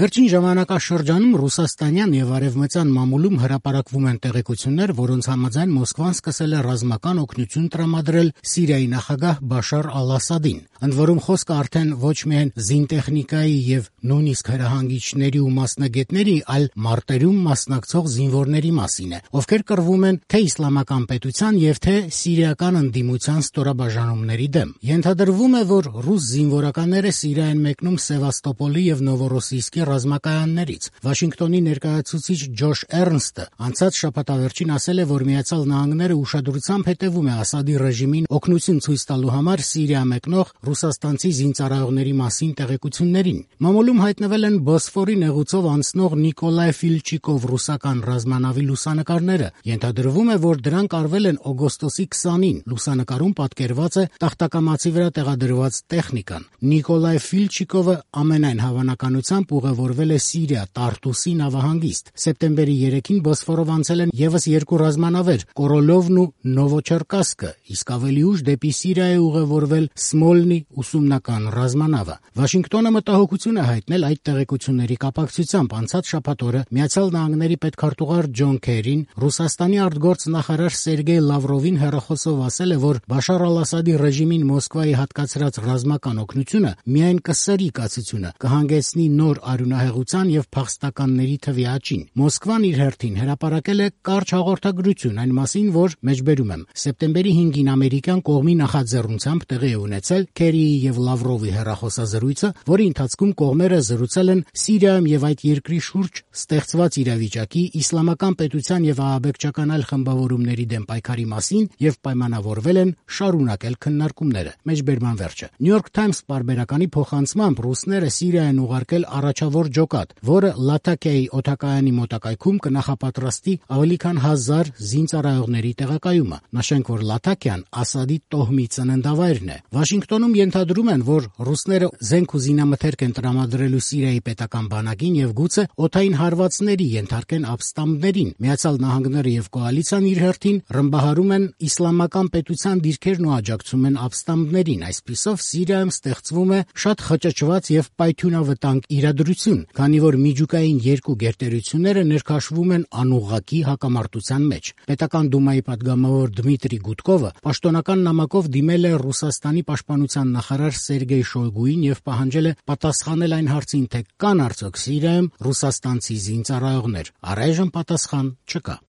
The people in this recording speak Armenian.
Վերջին ժամանակաշրջանում ռուսաստանյան եւ արևմտյան մամուլում հրապարակվում են տեղեկություններ, որոնց համաձայն Մոսկվան սկսել է ռազմական օգնություն տրամադրել Սիրիայի նախագահ Բաշար Ալ-Ասադին, ընդ որում խոսքը արդեն ոչ միայն զինտեխնիկայի եւ նույնիսկ հրահանգիչների ու մասնագետների, այլ մարտերում մասնակցող զինվորների մասին է, ովքեր կռվում են թե իսլամական պետության եւ թե սիրիական ընդդիմության ստորաբաժանումների դեմ։ Ենթադրվում է, որ ռուս զինվորականները Սիրիա են մեկնում Սևաստոպոլի եւ Նովորոսիիսկի ռազմակայաններից։ Վաշինգտոնի ներկայացուցիչ Ջոշ Էրնստը անցած շաբաթավերջին ասել է, որ Միացյալ Նահանգները ուշադրությամբ հետևում է Ասադի ռեժիմին օգնություն ցույց տալու համար Սիրիա մեկնող ռուսաստանցի զինծառայողների մասին տեղեկություններին։ Մամուլում հայտնվել են Բոսֆորի նեղուցով անցնող Նիկոլայ Ֆիլչիկով ռուսական ռազմանավի լուսանկարները։ Ենթադրվում է, որ դրանք արվել են օգոստոսի 20-ին։ Լուսանկարում պատկերված է տախտակամածի վրա տեղադրված տեխնիկան։ Նիկոլայ Ֆիլչիկովը ամենայն հավանականությամբ ուղևորվել է Սիրիա, Տարտուսի նավահանգիստ։ Սեպտեմբերի 3-ին Բոսֆորով անցել են եւս երկու ռազմանավեր՝ Կորոլովն ու Նովոչերկասկը, իսկ ավելի ուշ դեպի Սիրիա է ուղևորվել Սմոլնի ուսումնական ռազմանավը։ Վաշինգտոնը մտահոգություն է հայտնել այդ տեղեկությունների կապակցությամբ։ Անցած շաբաթ օրը Միացյալ Նահանգների պետքարտուղար Ջոն Քերին Ռուսաստանի արտգործնախարար Սերգեյ Լավրովին հեռախոսով ասել է, որ Բաշար Ալ-Ասադի ռեժիմին Մոսկվայի հատկացրած ռազմական օգնությունը միայն կսրի կացությունը, կհանգեցնի նոր արյունահեղության եւ փախստականների թվի աճին։ Մոսկվան իր հերթին հրապարակել է կարճ հաղորդագրություն այն մասին, որ մեջբերում եմ սեպտեմբերի 5-ին ամերիկյան կողմի նախաձեռնությամբ տեղի է ունեցել Քերիի եւ Լավրովի հեռախոսազրույցը, որի ընթացքում կողմերը զրուցել են Սիրիայում եւ այդ երկրի շուրջ ստեղծված իրավիճակի, իսլամական պետության եւ ահաբեկչական այլ խմբավորումների դեմ պայքարի մասին եւ պայմանավորվել են շարունակել քննարկումները։ Մեջբերման վերջը։ New York Times պարբերականի փոխանցմամբ ռուսները Սիրիա են ուղարկել առաջավոր ջոկատ, որը Լաթակիայի օդակայանի մոտակայքում կնախապատրաստի ավելի քան 1000 զինծառայողների տեղակայումը։ Նշենք, որ Լաթակիան Ասադի տոհմի ծննդավայրն է։ Վաշինգտոնում ենթադրում են, որ ռուսները զենք ու զինամթերք են տրամադրելու Սիրիայի պետական բանակին եւ գուցե օդային հարվածների ենթարկեն ապստամբներին։ Միացյալ Նահանգները եւ կոալիցիան իր հերթին ռմբահարում են իսլամական պետության դիրքերն ու աջակցում են ապստամբներին։ Այսպիսով Սիրիայում ստեղծվում է շատ խճճված եւ պայթյունավտանգ իրադրություն, քանի որ միջուկային երկու գերտերությունները ներքաշվում են անուղղակի հակամարտության մեջ։ Պետական դումայի պատգամավոր Դմիտրի Գուդկովը պաշտոնական նամակով դիմել է Ռուսաստանի պաշտպանության նախարար Սերգեյ Շոյգուին եւ պահանջել է պատասխանել այն հարցին, թե կան արդյոք Սիրիայում ռուսաստանցի զինծառայողներ։ Առայժմ պատասխան չկա։